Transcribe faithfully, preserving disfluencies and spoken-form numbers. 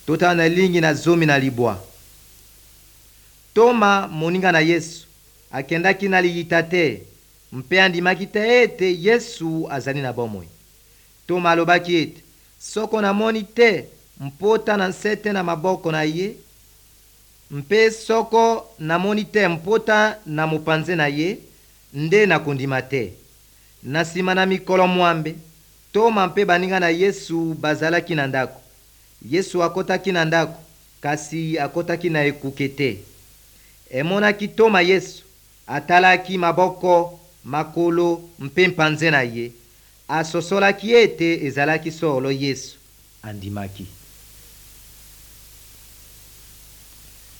Totala na lingi na zomi na libwa. Toma, moninga na Yesu, akendaki na liyita te mpe andimaki te ete Yesu azali na bomoi. Toma alobaki ete, soko namoni te mpota na nsete na maboko na ye, mpe soko namoni te mpota na mopanze na ye, nde nakondima te. Na nsima na mikolo mwambe, Toma mpe baninga na Yesu bazalaki na ndako. Yesu akotaki na ndako, kasi akotaki na ekuke te. Emonaki Toma Yesu, atalaki maboko, makolo mpe mpanze na ye. Asosolaki ete ezalaki solo Yesu. Andimaki.